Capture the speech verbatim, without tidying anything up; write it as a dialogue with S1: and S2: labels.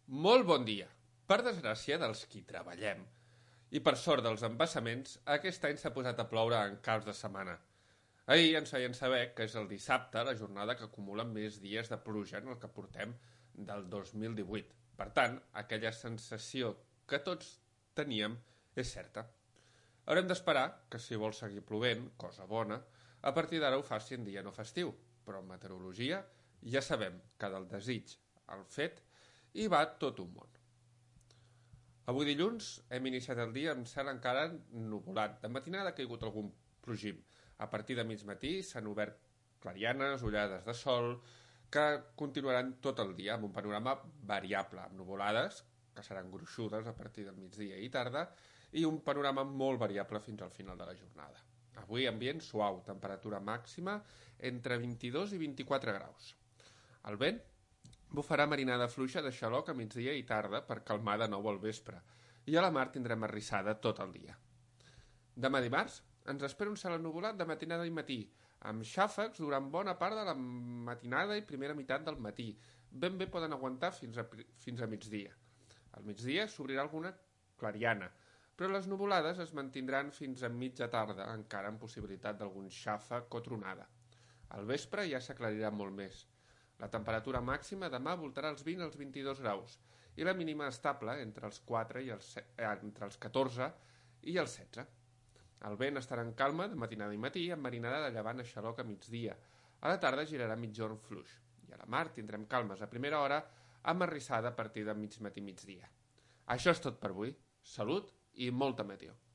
S1: Molt bon dia. Per desgràcia dels qui treballem i per sort dels embassaments, aquest any s'ha posat a ploure en caps de setmana. Ahir ens feien saber que és el dissabte la jornada que acumula més dies de pluja en el que portem del dos mil divuit. Per tant, aquella sensació que tots teníem és certa. Haurem d'esperar que si vol seguir plovent, cosa bona, a partir d'ara ho faci en dia no festiu. Però en meteorologia ja sabem que del desig al fet hi va tot un món. Avui dilluns hem iniciat el dia amb cel encara nuvolat. De matinada ha caigut algun plogim. A partir de mig matí s'han obert clarianes, ullades de sol, que continuaran tot el dia amb un panorama variable, amb nuvolades, que seran gruixudes a partir del migdia i tarda, i un panorama molt variable fins al final de la jornada. Avui ambient suau, temperatura màxima entre vint-i-dos i vint-i-quatre graus. El vent bufarà marinada fluixa de xaloc a migdia i tarda per calmar de nou al vespre, i a la mar tindrem arrissada tot el dia. Demà dimarts ens espera un cel ennuvolat de matinada i matí, amb xàfecs durant bona part de la matinada i primera meitat del matí. Ben bé poden aguantar fins a, fins a migdia. Al migdia s'obrirà alguna clariana, però les nuvolades es mantindran fins a mitja tarda, encara amb possibilitat d'algun xàfec o tronada. Al vespre ja s'aclarirà molt més. La temperatura màxima demà voltarà els vint als vint-i-dos graus i la mínima estable entre els, quatre i els, eh, entre els catorze i els setze. El vent estarà en calma de matinada i matí amb marinada de llevant a xaloc a migdia. A la tarda girarà migjorn fluix i a la mar tindrem calmes a primera hora amb arrissada a partir de mig matí migdia. Això és tot per avui. Salut i molta meteo.